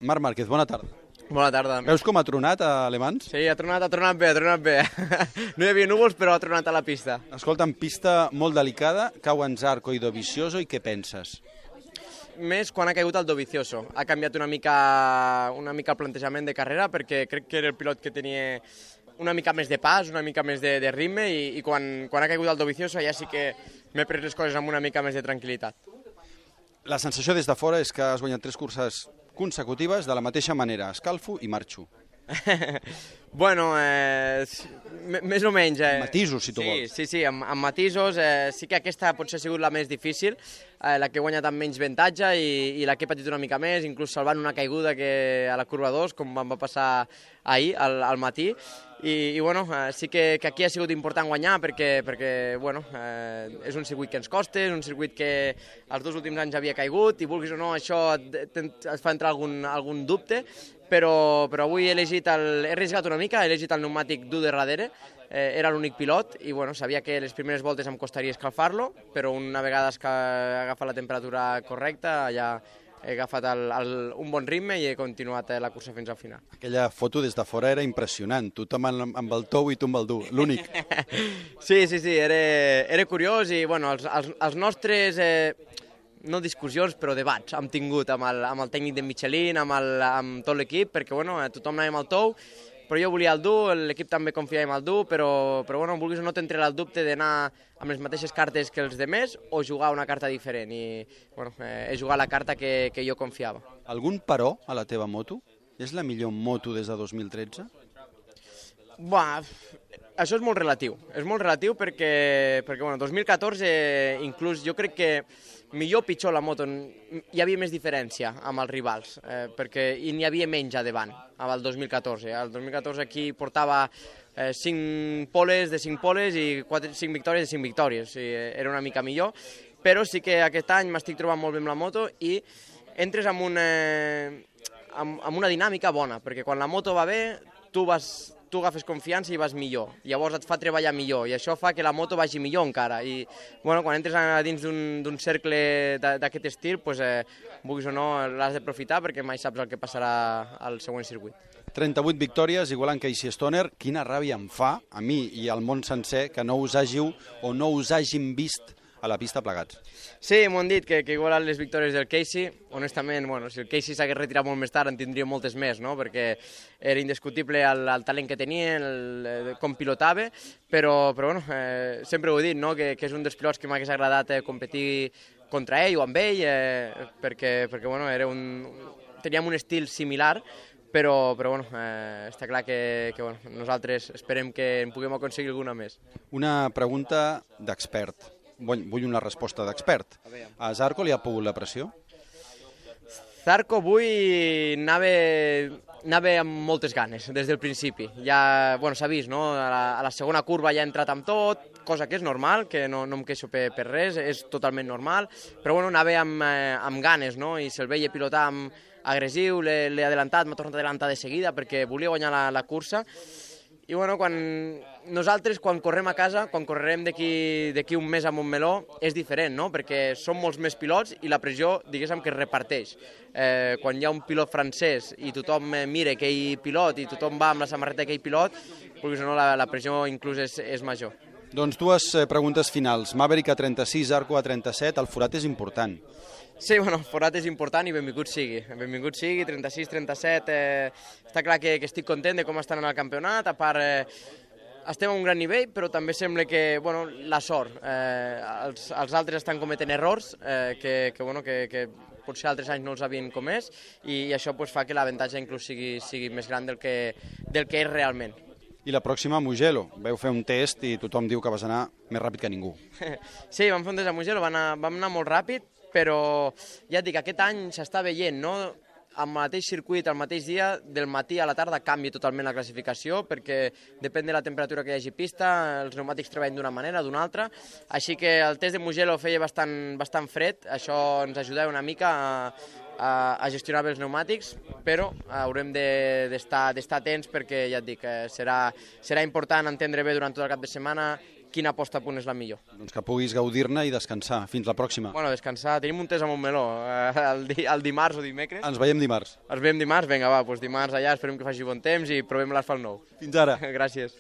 Marc Márquez, bona tarda. Bona tarda. Veus com ha tronat a Le Mans? Sí, ha tronat bé, ha tronat bé. No hi havia núvols, però ha tronat a la pista. Escolta, en pista molt delicada, cauen Zarco i Dovizioso, i què penses? Més quan ha caigut el Dovizioso. Ha canviat una mica el plantejament de carrera, perquè crec que era el pilot que tenia una mica més de pas, una mica més de ritme, i quan ha caigut el Dovizioso ja sí que m'he pres les coses amb una mica més de tranquil·litat. La sensació des de fora és que has guanyat 3 curses consecutives de la mateixa manera, escalfo i marxo. Bueno, més o menys. Matisos, si tu vols. Sí, amb matisos. Sí que aquesta potser ha sigut la més difícil, la que he guanyat amb menys avantatge i la que he patit una mica més, inclús salvant una caiguda a la curva 2, com em va passar ahir, al matí. I bueno, sí que aquí ha sigut important guanyar perquè bueno, és un circuit que ens costa, és un circuit que els 2 últims anys havia caigut i vulguis o no això et fa entrar algun dubte, però avui he arriscat una mica, he elegit el pneumàtic dur de darrere, era l'únic pilot i bueno, sabia que les primeres voltes em costaria escalfar-lo, però una vegada que he agafat la temperatura correcta ja he agafat un bon ritme i he continuat la cursa fins al final. Aquella foto des de fora era impressionant, tothom amb el tou i tu amb el dur, l'únic. Sí, era curiós i bueno, els nostres, no discussions, però debats hem tingut amb el tècnic de Michelin, amb tot l'equip, perquè bueno, tothom anava amb el tou, però jo volia el dur, l'equip també confiava en el dur, però bueno, vulguis o no t'entra el dubte d'anar amb les mateixes cartes que els demés o jugar una carta diferent i bueno, he jugat la carta que jo confiava. Algun però a la teva moto? És la millor moto des de 2013? Això és molt relatiu perquè bueno, 2014 inclús jo crec que millor o pitjor la moto, hi havia més diferència amb els rivals, i n'hi havia menys a davant, amb el 2014. El 2014 aquí portava 5 poles de 5 poles i 5 victòries de 5 victòries, era una mica millor, però sí que aquest any m'estic trobant molt bé amb la moto i entres amb una dinàmica bona, perquè quan la moto va bé, tu agafes confiança i vas millor, llavors et fa treballar millor i això fa que la moto vagi millor encara i bueno, quan entres dins d'un cercle d'aquest estil, vulguis o no l'has d'aprofitar perquè mai saps el que passarà al següent circuit. 38 victòries, igualant Casey Stoner, quina ràbia em fa a mi i al món sencer que no us hàgiu o no us hàgim vist a la pista plegats. Sí, m'ho han dit, que igualant les victòries del Casey, honestament, bueno, si el Casey s'hagués retirat molt més tard en tindria moltes més, no? Perquè era indiscutible el talent que tenia, com pilotava, però bueno, sempre ho he dit, no? Que és un dels pilots que m'hagués agradat competir contra ell o amb ell, perquè bueno, teníem un estil similar, però bueno, està clar que bueno, nosaltres esperem que en puguem aconseguir alguna més. Una pregunta d'expert. Vull una resposta d'expert. A Zarco li ha pogut la pressió? Zarco avui anava amb moltes ganes, des del principi. Ja, bueno, s'ha vist, no? A la segona curva ja ha entrat amb tot, cosa que és normal, que no em queixo per res, és totalment normal, però bueno, anava amb ganes, no? I se'l veia pilotar agressiu, l'he adelantat, m'ha tornat a adelantar de seguida perquè volia guanyar la cursa. I bueno, nosaltres quan correm a casa, quan correrem d'aquí un mes a Montmeló, és diferent, no? Perquè som molts més pilots i la pressió, diguéssim, que es reparteix. Quan hi ha un pilot francès i tothom mira aquell pilot i tothom va amb la samarreta d'aquell pilot, perquè no, la pressió inclús és major. Doncs 2 preguntes finals. Maverick a 36, Zarco a 37, el forat és important. Sí, bueno, el forat és important i benvingut sigui. Benvingut sigui, 36, 37, està clar que estic content de com estan en el campionat, a part estem a un gran nivell, però també sembla que, bueno, la sort, els altres estan cometent errors que potser altres anys no els havien comès i això fa que l'avantatge inclús sigui més gran del que és realment. I la pròxima a Mugello. Vau fer un test i tothom diu que vas anar més ràpid que ningú. Sí, vam fer un test a Mugello, vam anar molt ràpid, però ja et dic, aquest any s'està veient, no? Al mateix circuit, al mateix dia, del matí a la tarda canvia totalment la classificació perquè depèn de la temperatura que hi hagi pista, els pneumàtics treballen d'una manera o d'una altra, així que el test de Mugello feia bastant fred, això ens ajuda una mica a gestionar bé els pneumàtics, però haurem d'estar atents perquè, ja et dic, serà important entendre bé durant tot el cap de setmana quina posta a punt és la millor. Doncs que puguis gaudir-ne i descansar. Fins la pròxima. Bueno, descansar, tenim un test a Montmeló, el dimarts o dimecres. Ens veiem dimarts. Ens veiem dimarts? Vinga, va, doncs dimarts allà, esperem que faci bon temps i provem l'asfalt nou. Fins ara. Gràcies.